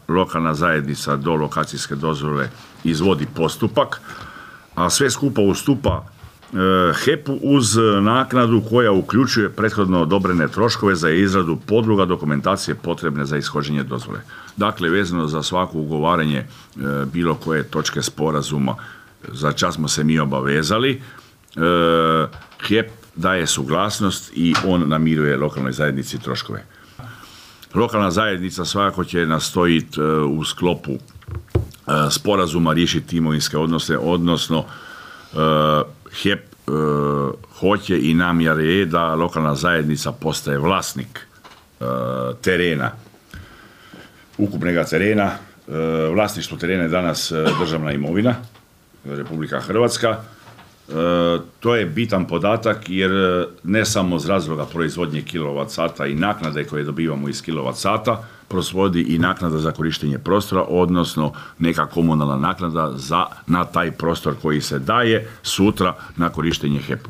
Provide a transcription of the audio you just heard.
lokalna zajednica do lokacijske dozvole izvodi postupak, a sve skupa ustupa HEP-u uz naknadu koja uključuje prethodno odobrene troškove za izradu podloga dokumentacije potrebne za ishođenje dozvole. Dakle, vezano za svako ugovaranje bilo koje točke sporazuma, za čas smo se mi obavezali, HEP daje suglasnost i on namiruje lokalnoj zajednici troškove. Lokalna zajednica svakako će nastojiti u sklopu sporazuma riješiti imovinske odnose, odnosno HEP hoće i namjera je da lokalna zajednica postaje vlasnik terena, ukupnega terena. Vlasništvo terena je danas državna imovina, Republika Hrvatska. To je bitan podatak jer ne samo iz razloga proizvodnje kilovat-sata i naknade koje dobivamo iz kilovat-sata, proizvodi i naknada za korištenje prostora, odnosno neka komunalna naknada na taj prostor koji se daje sutra na korištenje HEP-u.